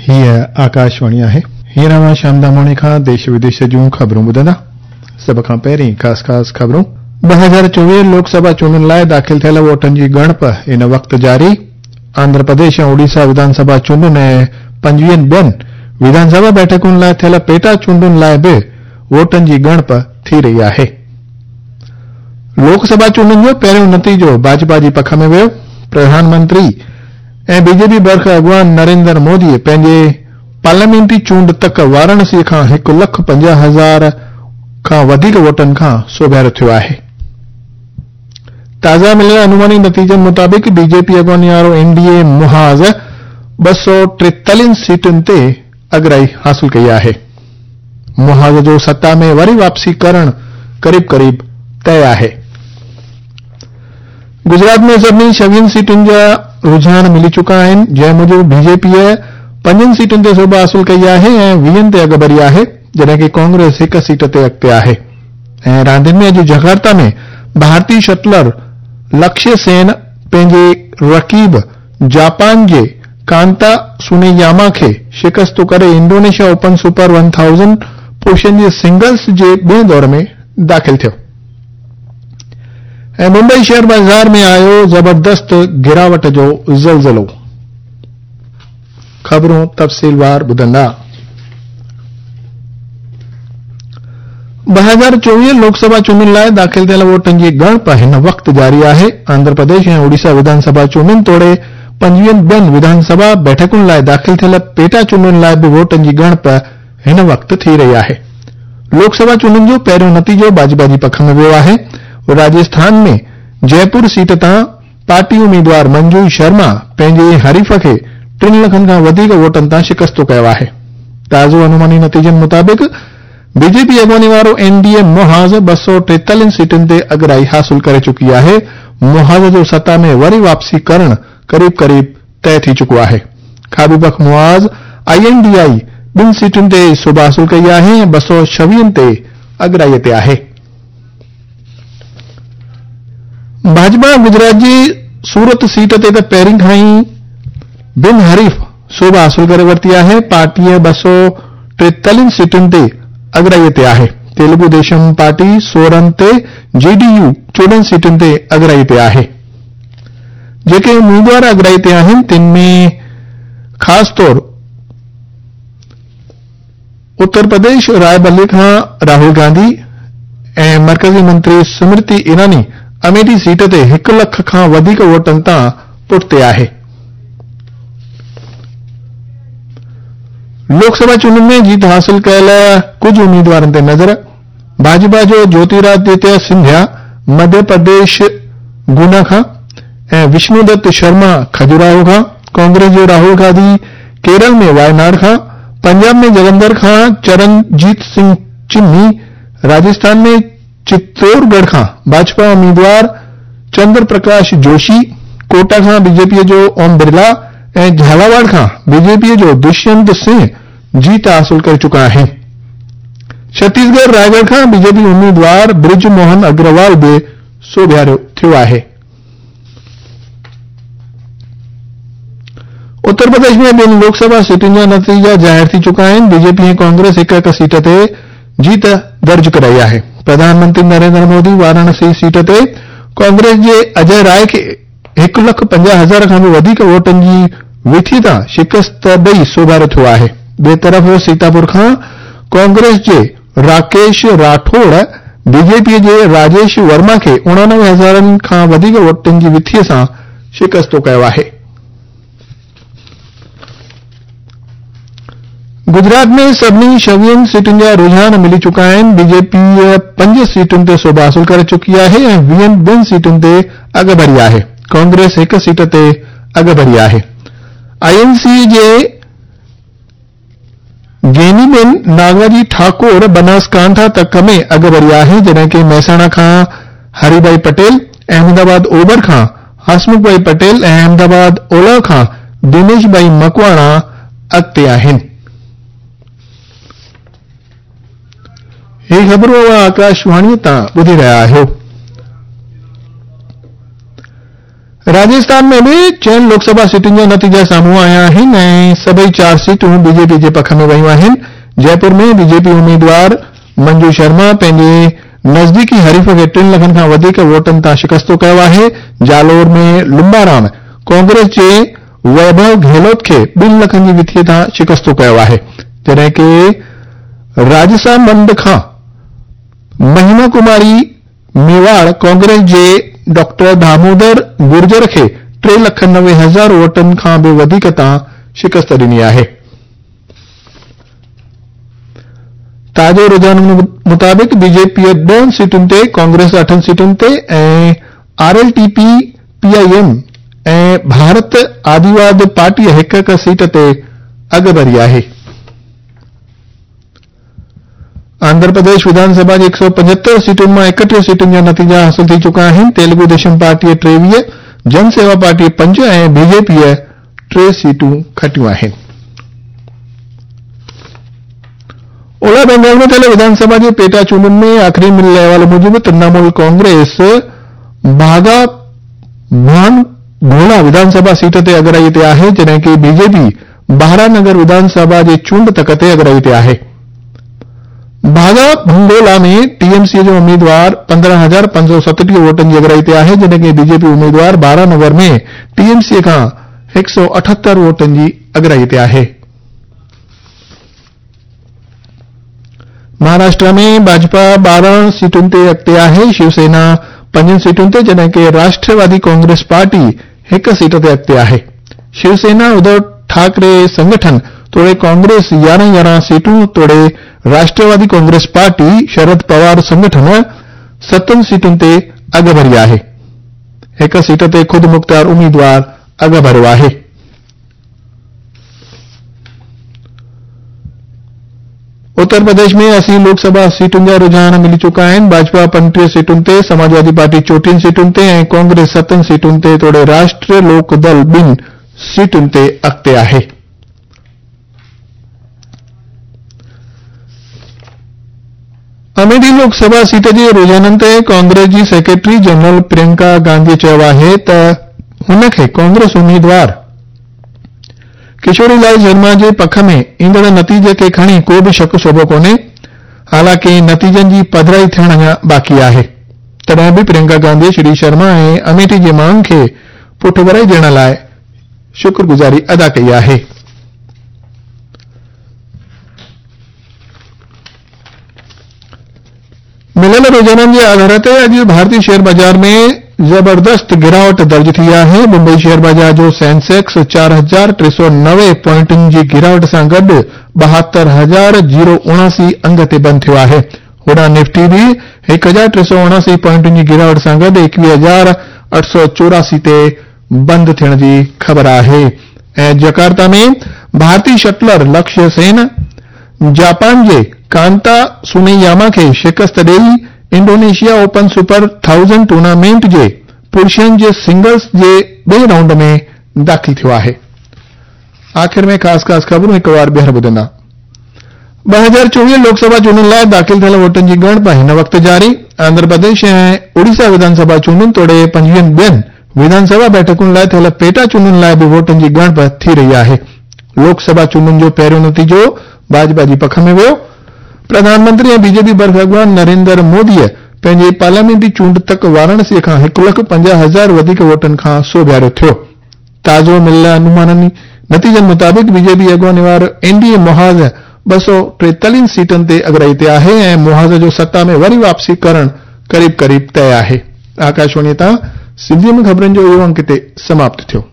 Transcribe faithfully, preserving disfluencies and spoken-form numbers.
हीअ आकाशवाणी आहे। हींअर अव्हां श्याम दामोणी खां देश विदेश जूं ख़बरूं ॿुधंदा। सभ खां पहिरीं ख़ासि ख़ासि ख़बरूं। ॿ हज़ार चोवीह लोकसभा चूंडुनि लाइ दाख़िल थियल वोटनि जी ॻणप हिन वक़्तु जारी। आंध्र प्रदेश ऐं ओडिशा विधानसभा चूंडुनि ऐं पंजवीहनि ॿियनि विधानसभा बैठकुनि लाइ थियल पेटा चूंडुनि लाइ बि वोटनि जी ॻणप थी रही आहे। लोकसभा चूंडुनि जो पहिरियों नतीजो भाजपा जी पख में वियो। प्रधानमंत्री ऐं बीजेपी बर्ख अॻुवान नरेंद्र मोदी पंहिंजे पार्लियामेंटी चूंड तक वाराणसी खां हिकु लख पंजाह हज़ार खां वधीक वोटनि खां सोभियारो थियो आहे। ताज़ा मिलियल अनुमानी नतीजनि मुताबिक़ बीजेपी अॻुवानी वारो एनडीए मुहाज़ ॿ सौ टेतालीह सीटुनि ते अॻिराई हासिल कई आहे। मुहाज़ जो सत्ता में वरी वापसी करणु क़रीब क़रीब तय आहे। गुजरात में सभिनी छवीहनि सीटुनि जा रुझान मिली चुका आहिनि, जंहिं मूजिबि बीजेपीअ पंजनि सीटुनि ते सोभ हासिल कई आहे ऐं वीहनि ते अॻिभरी आहे, जॾहिं की कांग्रेस हिकु सीट ते अॻिते आहे। ऐं रांदियुनि में अॼु जकार्ता में भारतीय शटलर लक्ष्य सेन पंहिंजे रक़ीब जापान जे कांता सुनेयामा खे शिकस्त करे Indonesia open super one thousand पुरुषनि जे सिंगल्स जे ॿिए दौर में दाख़िल थियो। ऐं मुंबई शेयर बाज़ार में आयो ज़बरदस्त गिरावट जो ज़लज़लो। ख़बरूं तफ़सीलवार ॿुधंदा। ॿ हज़ार चोवीह लोकसभा चूंडुनि लाइ दाख़िल थियल वोटनि जी ॻणप हिन वक़्तु जारी आहे। आंध्र प्रदेश ऐं ओडिशा विधानसभा चूंडुनि तोड़े पंजवीहनि ॿियनि विधानसभा बैठकुनि लाइ दाख़िल थियल पेटा चूंडुनि लाइ बि वोटनि जी ॻणप हिन वक़्तु थी रही आहे। लोकसभा चूंडुनि जो पहिरियों नतीजो भाजपा जी पख में वियो आहे। राजस्थान में जयपुर सीट तां पार्टी उम्मीदवार मंजू शर्मा पंहिंजे हरीफ़ खे टिनि लखनि खां वधीक वोटनि तां शिकस्तो कयो आहे। ताज़ो अनुमानी नतीजनि मुताबिक़ बीजेपी अॻुवानी वारो एनडीए मुहाज़ ॿ सौ टेतालीह सीटुनि ते अॻिराई हासिल करे चुकी आहे। मुहाज़ जो सत्ता में वरी वापसी करणु क़रीब क़रीब तय थी चुको आहे। खाॿी पख मुहाज़ आईएनडीआई ॿिनि सीटुनि ते सोभ हासिल कई आहे ऐं ॿ सौ छवीहनि ते अॻिराईअ ते आहे। भाजपा गुजरात जी सूरत सीट ते त पहिरीं खां ई बिन हरीफ़ सोभ हासिल करे वरिती आहे। पार्टीअ ॿ सौ टेतालीह सीटुनि ते अॻिराईअ ते आहे। तेलुगु देशम पार्टी सोरहं ते, जेडीयू चोॾहं सीटुनि ते अॻिराई ते आहे। जेके उम्मीदवार अॻिराई ते आहिनि तिन में ख़ासि तौर उत्तर प्रदेश रायबरेली खां राहुल गांधी ऐं मर्कज़ी मंत्री स्मृति ईरानी अमेठी सीट ते हिकु लख खां वधीक वोटनि तां पुठिते आहे। लोकसभा चूंडुनि में जीत हासिल कयल कुझु उम्मीदवारनि ते नज़र। भाजपा जो ज्योतिरादित्य सिंधिया मध्य प्रदेश गुना खां ऐं विष्णुदत्त शर्मा खजुराहो खां, कांग्रेस जो राहुल गांधी केरल में वायनाड खां, पंजाब में जलंधर खां चरणजीत सिंह चिन्नी, राजस्थान में चित्तौड़गढ़ खां भाजपा उम्मीदवार चंद्र प्रकाश जोशी, कोटा खां बीजेपीअ जो ओम बिरला ऐं झालावाड़ खां बीजेपीअ जो दुष्यंत सिंह जीत हासिल करे चुका आहिनि। छत्तीसगढ़ रायगढ़ खां बीजेपी उम्मीदवार ब्रिज मोहन अग्रवाल बि सोभियारो थियो आहे। उत्तर प्रदेश में ॿिनि लोकसभा सीटुनि जा नतीजा ज़ाहिर थी चुका आहिनि। बीजेपी ऐं कांग्रेस हिकु हिकु सीट ते जीत दर्ज कराई आहे। प्रधानमंत्री नरेंद्र मोदी वाराणसी सीट ते कांग्रेस जे अजय राय खे हिकु लख पंजाह हज़ार खां बि वधीक वोटनि जी विथी तां शिकस्त ॾेई सोभारो थियो आहे। ॿिए तरफ़ सीतापुर खां कांग्रेस जे राकेश राठौड़ बीजेपीअ जे राजेश वर्मा खे उणानवे हज़ारनि खां वधीक वोटनि जी विथीअ सां शिकस्तो कयो आहे। गुजरात में सभिनी छवीहनि सीटुनि जा रुझान मिली चुका आहिनि। बीजेपी पंज सीटुनि ते सोभ हासिल करे चुकी आहे ऐं वीहनि ॿिनि सीटुनि ते अॻिभरी आहे। कांग्रेस हिकु सीट ते अॻिभरी आहे। आईएनसी जे गेनीबेन नागाजी ठाकोर बनासकांठा तक में अॻिभरी आहे, जॾहिं की महसाणा खां हरीभाई पटेल, अहमदाबाद ओभर खां हसमुख भाई पटेल ऐं अहमदाबाद ओलह खां दिनेश भाई मकवाणा अॻिते आहिनि। ही ख़बरूं आकाशवाणी तां ॿुधी रहिया आहियो। राजस्थान में बि चइनि लोकसभा सीटुनि जा नतीजा साम्हूं आया आहिनि ऐं सभई चारि सीटूं बीजेपी जे पख में वयूं आहिनि। जयपुर में बीजेपी उम्मीदवार मंजू शर्मा पंहिंजे नज़दीकी हरीफ़ खे टिनि लखनि खां वधीक वोटनि तां शिकस्तो कयो आहे। जालोर में लुम्बाराम कांग्रेस जे वैभव गहलोत खे ॿिनि लखनि जी विथीअ तां शिकस्तो कयो आहे, जॾहिं की राजसामंद खां महिमा कुमारी मेवाड़ कांग्रेस जे डॉक्टर दामोदर गुर्जर खे टे लख नवे हज़ार वोटनि खां बि वधीक तां शिकस्त ॾिनी आहे। ताज़ो रुझाननि मुताबिक़ बीजेपी ॾहनि सीटुनि ते, कांग्रेस अठनि सीटुनि ते ऐं आरएलटीपी, पीआईएम ऐं भारत आदिवाद पार्टी हिकु हिकु सीट ते अॻिभरी आहे। आंध्र प्रदेश विधानसभा जी हिकु सौ पंजहतरि सीटुनि मां एकटीह सीटुनि जा नतीजा हासिल थी चुका आहिनि। तेलुगु देशम पार्टीअ टेवीह, जन सेवा पार्टीअ पंज ऐं बीजेपीअ टे सीटूं खटियूं आहिनि। ओला बंगाल में थियल विधानसभा जे पेटा चूंडुनि में आख़िरी मिलियल अहवाल मूजिबि तृणमूल कांग्रेस भागा भानगोला विधानसभा सीट ते अॻिराई ते आहे, जॾहिं की बीजेपी बारानगर विधानसभा जे चूंड तक ते अॻिराई ते आहे। भागा भंगोला में टीएमसी जो उम्मीदवार पंद्रहं हज़ार पंज सौ सतटीह वोटनि जी अॻिराई ते आहे, जॾहिं की बीजेपी उम्मीदवार बारानगर में टीएमसी खां हिकु सौ अठहतरि वोटनि जी अॻिराई ते आहे। महाराष्ट्र में भाजपा ॿारहं सीटुनि ते अॻिते आहे, शिवसेना पंजनि सीटुनि ते, जॾहिं की राष्ट्रवादी कांग्रेस पार्टी हिकु सीट ते अॻिते आहे। शिवसेना उद्धव ठाकरे संगठन तोड़े कांग्रेस यारहं यारहं सीटूं तोड़े राष्ट्रवादी कांग्रेस पार्टी शरद पवार संगठन सतनि सीटुनि ते अॻिभरी आहे। हिकु सीट ते ख़ुदि मुख़्तियार उम्मीदवार अॻिभरो आहे। उत्तर प्रदेश में असी लोकसभा सीटुनि जा रुझान मिली चुका आहिनि। भाजपा पंटीह सीटुनि ते, समाजवादी पार्टी चोटीहनि सीटुनि ते ऐं कांग्रेस सतनि सीटुनि ते तोड़े राष्ट्रीय लोकदल ॿिनि सीटुनि ते अॻिते आहे। अमेठी लोकसभा सीट जे रुझाननि ते कांग्रेस जी सेक्रेटरी जनरल प्रियंका गांधी चयो आहे त हुनखे कांग्रेस उम्मीदवार किशोरी लाल शर्मा जे पख में ईंदड़ नतीजे खे खणी को बि शक शोभो कोन्हे, हालांकि नतीजनि जी पधराई थियण अञा बाक़ी आहे। तॾहिं बि प्रियंका गांधी श्री शर्मा ऐं अमेठी जे माण्हुनि खे पुठभराई ॾियण लाइ शुक्रगुज़ारी अदा कई आहे। मिलियल रुझाननि जे आधार ते अॼु भारतीय शेयर बाज़ार में ज़बरदस्त गिरावट दर्ज थी आहे। मुंबई शेयर बाज़ार जो सेंसेक्स चारि हज़ार टे सौ नवे पॉइंटनि जी गिरावट सां गॾु ॿाहतरि हज़ार ज़ीरो उणासी अंग ते बंदि थियो आहे। होॾां निफ्टी बि हिकु हज़ार टे सौ उणासी पॉइंटनि जी गिरावट सां गॾु एकवीह हज़ार अठ सौ चौरासी ते बंदि थियण जी ख़बर आहे। ऐं जकार्ता में भारतीय शटलर लक्ष्य सेन जापान जे कांता सुनेयामा खे शिकस्त ॾेई Indonesia open super thousand tournament जे पुरुषनि जे सिंगल्स जे ॿिए राउंड में दाख़िल थियो आहे। आख़िर में ख़ासि ख़ासि ख़बरूं हिकु वार ॿीहर ॿुधंदा। ॿ हज़ार चोवीह लोकसभा चूंडुनि लाइ दाख़िल थियल वोटनि जी ॻणप हिन वक़्तु जारी। आंध्र प्रदेश ऐं उड़ीसा विधानसभा चूंडुनि तोड़े पंजवीहनि ॿियनि विधानसभा बैठकुनि लाइ थियल पेटा चूंडुनि लाइ बि वोटनि जी ॻणप थी रही आहे। लोकसभा चूंडुनि जो पहिरियों नतीजो भाजपा जी पख में वियो। प्रधानमंत्री ऐं बीजेपी बर्फ अॻवान नरेंद्र मोदीअ पंहिंजे पार्लियामेंटी चूंड तक वाराणसी खां हिकु लख पंजाह हज़ार वधीक वोटनि खां सोभियारो थियो। ताज़ो मिलियल अनुमाननि नतीजनि मुताबिक़ बीजेपी अॻवानी वारो एनडीए मुहाज़ ॿ सौ टेतालीह सीटनि ते अॻिराई ते आहे ऐं मुहाज़ जो सत्ता में वरी वापसी करणु क़रीब क़रीब तय आहे। आकाशवाणी तां सिंधीअ में ख़बरनि जो इहो अंक हिते समाप्त थियो।